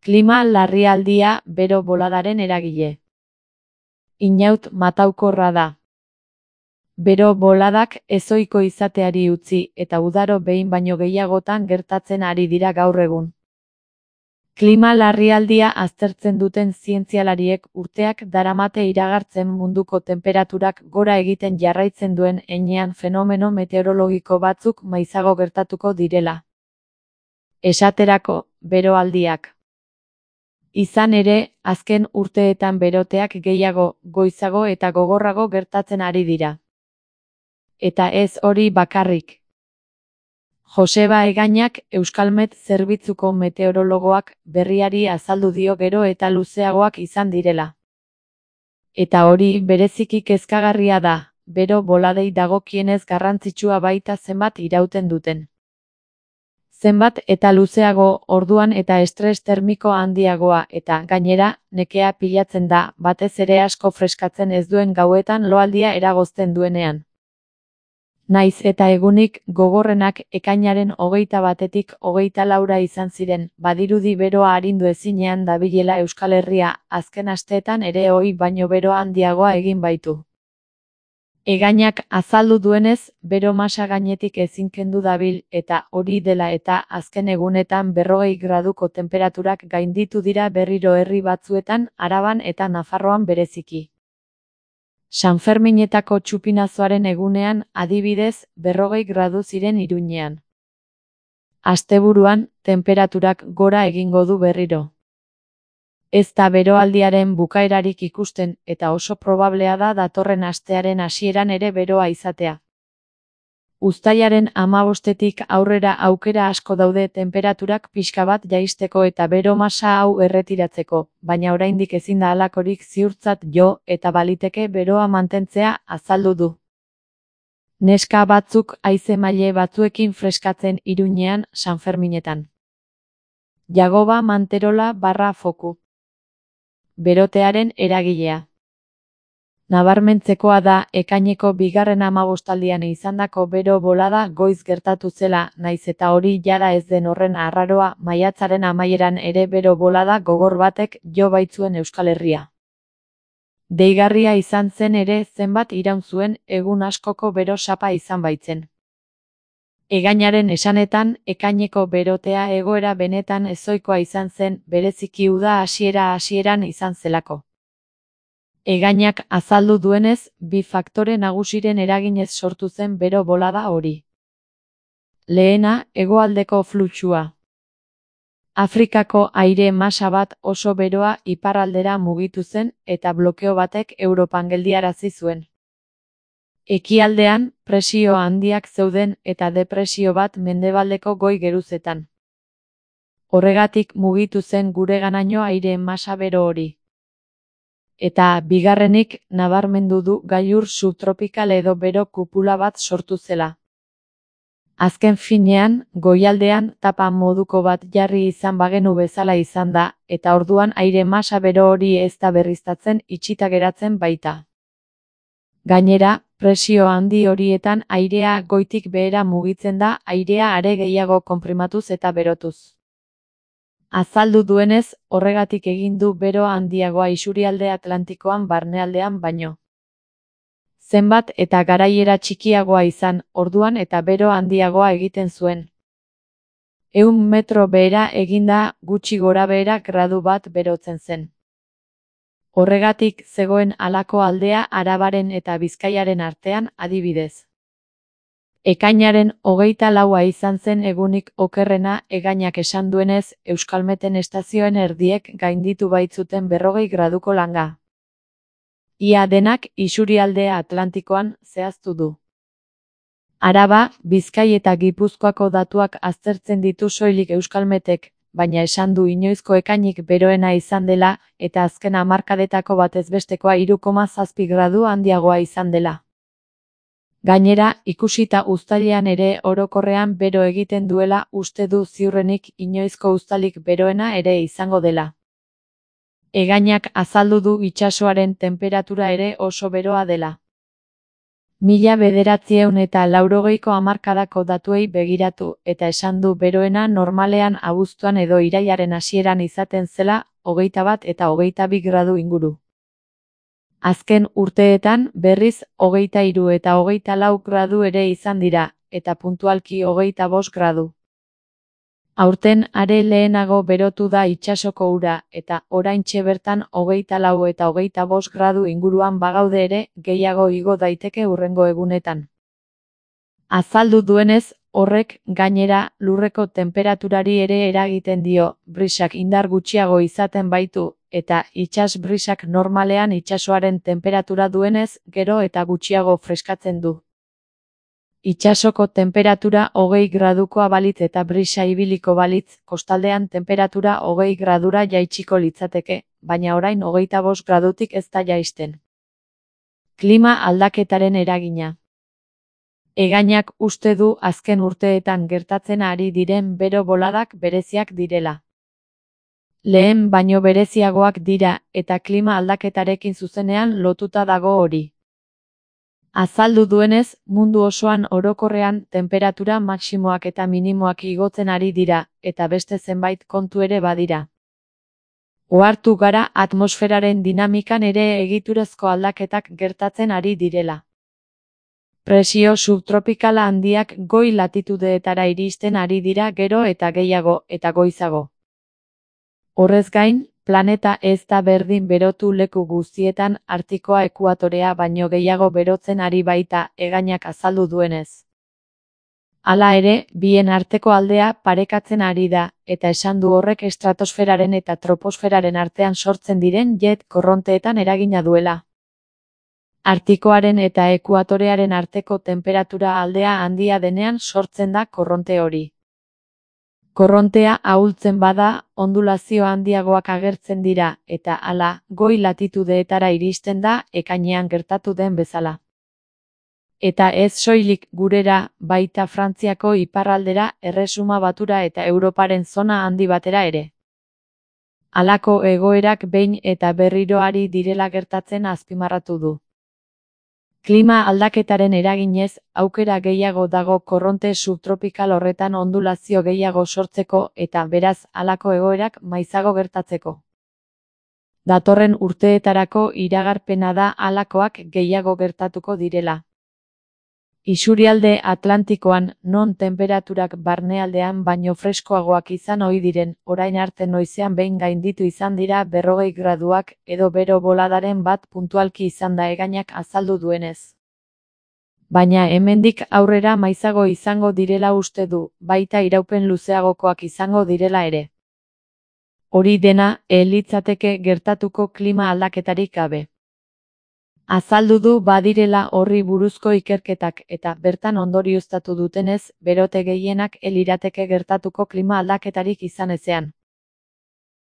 Klima larrialdia bero boladaren eragile. Inaut mataukorra da. Bero boladak ezohiko izateari utzi eta udaro behin baino gehiagotan gertatzen ari dira gaur egun. Klima larrialdia aztertzen duten zientzialariek urteak daramate iragartzen munduko tenperaturak gora egiten jarraitzen duen heinean fenomeno meteorologiko batzuk maizago gertatuko direla. Esaterako, beroaldiak. Izan ere, azken urteetan beroteak gehiago, goizago eta gogorrago gertatzen ari dira. Eta ez hori bakarrik. Joseba Egainak, Euskalmet zerbitzuko meteorologoak, berriari azaldu dio gero eta luzeagoak izan direla. Eta hori bereziki kezkagarria da, bero boladei dagokienez garrantzitsua baita zenbat irauten duten. Zenbat eta luzeago, orduan eta estres termiko handiagoa eta, gainera, nekea pilatzen da, batez ere asko freskatzen ez duen gauetan loaldia eragozten duenean. Naiz eta egunik gogorrenak ekainaren 21-tik 24 izan ziren, badirudi beroa arindu ezinean dabilela Euskal Herria, azken asteetan ere ohi baino bero handiagoa egin baitu. Egainak azaldu duenez, bero masa gainetik ezin kendu dabil eta hori dela eta azken egunetan 40 graduko tenperaturak gainditu dira berriro herri batzuetan, Araban eta Nafarroan bereziki. Sanferminetako txupinazoaren egunean, adibidez, 40 gradu ziren Iruñean. Asteburuan, tenperaturak gora egingo du berriro. Ez da beroaldiaren bukaerarik ikusten eta oso probablea da datorren astearen hasieran ere beroa izatea. Uztailaren 15-tik aurrera aukera asko daude tenperaturak pixka bat jaisteko eta bero masa hau erretiratzeko, baina oraindik ezin da halakorik ziurtzat jo eta baliteke beroa mantentzea azaldu du. Neska batzuk haize maile batzuekin freskatzen Iruñean, Sanferminetan. Jagoba Manterola /foku. Berotearen eragilea. Nabarmentzekoa da, ekaineko bigarren 15aldian izandako bero bolada goiz gertatu zela, naiz eta hori jada ez den horren arraroa, maiatzaren amaieran ere bero bolada gogor batek jo baitzuen Euskal Herria. Deigarria izan zen ere zenbat iraun zuen egun askoko bero sapa izan baitzen. Egainaren esanetan, ekaineko berotea egoera benetan ezohikoa izan zen, bereziki uda hasieran izan zelako. Egainak azaldu duenez, bi faktore nagusiren eraginez sortu zen bero bolada hori. Lehena, hegoaldeko fluxua. Afrikako aire masa bat oso beroa iparraldera mugitu zen eta blokeo batek Europan geldiarazi zuen. Ekialdean, presio handiak zeuden eta depresio bat mendebaldeko goi geruzetan. Horregatik mugitu zen gureganaino aire masa bero hori. Eta, bigarrenik, nabarmendu du gailur subtropikal edo bero kupula bat sortu zela. Azken finean, goialdean tapa moduko bat jarri izan bagenu bezala izan da, eta orduan aire masa bero hori ez da berriztatzen itxita geratzen baita. Gainera, presio handi horietan airea goitik behera mugitzen da, airea are gehiago konprimatuz eta berotuz. Azaldu duenez, horregatik egin du bero handiagoa isurialde Atlantikoan barnealdean baino. Zenbat eta garaiera txikiagoa izan, orduan eta bero handiagoa egiten zuen. 100 metro behera eginda gutxi gorabehera gradu bat berotzen zen. Horregatik zegoen halako aldea Arabaren eta Bizkaiaren artean adibidez. Ekainaren 24a izan zen egunik okerrena, Egainak esan duenez, Euskalmeten estazioen erdiek gainditu baitzuten 40 graduko langa. Ia denak isurialde Atlantikoan zehaztu du. Araba, Bizkai eta Gipuzkoako datuak aztertzen ditu soilik Euskalmetek, baina esan du inoizko ekainik beroena izan dela eta azken hamarkadetako batezbestekoa 3,7 gradu handiagoa izan dela. Gainera, ikusita uztailean ere orokorrean bero egiten duela uste du ziurrenik inoizko uztailik beroena ere izango dela. Egainak azaldu du itsasoaren tenperatura ere oso beroa dela. 1980ko hamarkadako datuei begiratu eta esan du beroena normalean abuztuan edo irailaren hasieran izaten zela 21 eta 22 gradu inguru. Azken urteetan berriz 23 eta 24 gradu ere izan dira, eta puntualki 25 gradu. Aurten are lehenago berotu da itsasoko ura, eta oraintxe bertan 24 eta 25 gradu inguruan bagaude ere, gehiago igo daiteke hurrengo egunetan. Azaldu duenez, horrek, gainera, lurreko tenperaturari ere eragiten dio, brisak indar gutxiago izaten baitu, eta itsas brisak normalean itsasoaren tenperatura duenez, gero eta gutxiago freskatzen du. Itsasoko tenperatura 20 gradukoa balitz eta brisa ibiliko balitz, kostaldean tenperatura 20 gradura jaitsiko litzateke, baina orain 25 gradutik ez da jaisten. Klima aldaketaren eragina. Egainak uste du azken urteetan gertatzen ari diren bero boladak bereziak direla. Lehen baino bereziagoak dira, eta klima aldaketarekin zuzenean lotuta dago hori. Azaldu duenez, mundu osoan orokorrean tenperatura maximoak eta minimoak igotzen ari dira, eta beste zenbait kontu ere badira. Ohartu gara atmosferaren dinamikan ere egiturezko aldaketak gertatzen ari direla. Presio subtropikala handiak goi latitudeetara iristen ari dira gero eta gehiago eta goizago. Horrez gain, planeta ez da berdin berotu leku guztietan Artikoa ekuatorea baino gehiago berotzen ari baita, egainak azaldu duenez. Hala ere, bien arteko aldea parekatzen ari da, eta esan du horrek estratosferaren eta troposferaren artean sortzen diren jet korronteetan eragina duela. Artikoaren eta ekuatorearen arteko tenperatura aldea handia denean sortzen da korronte hori. Korrontea ahultzen bada, ondulazio handiagoak agertzen dira, eta hala, goi latitudeetara iristen da, ekainean gertatu den bezala. Eta ez soilik gurera, baita Frantziako iparraldera, Erresuma Batura eta Europaren zona handi batera ere. Halako egoerak behin eta berriro ari direla gertatzen azpimarratu du. Klima aldaketaren eraginez, aukera gehiago dago korronte subtropikal horretan ondulazio gehiago sortzeko eta beraz halako egoerak maizago gertatzeko. Datorren urteetarako iragarpena da halakoak gehiago gertatuko direla. Isurialde Atlantikoan, non tenperaturak barnealdean baino freskoagoak izan ohi diren, orain arte noizean behin gainditu izan dira 40 graduak edo bero boladaren bat puntualki izan da egainak azaldu duenez. Baina hemendik aurrera maizago izango direla uste du, baita iraupen luzeagokoak izango direla ere. Hori dena, litzateke gertatuko klima aldaketarik gabe. Azaldu du badirela horri buruzko ikerketak eta bertan ondorioztatu dutenez, berote gehienak lirateke gertatuko klima aldaketarik izan ezean.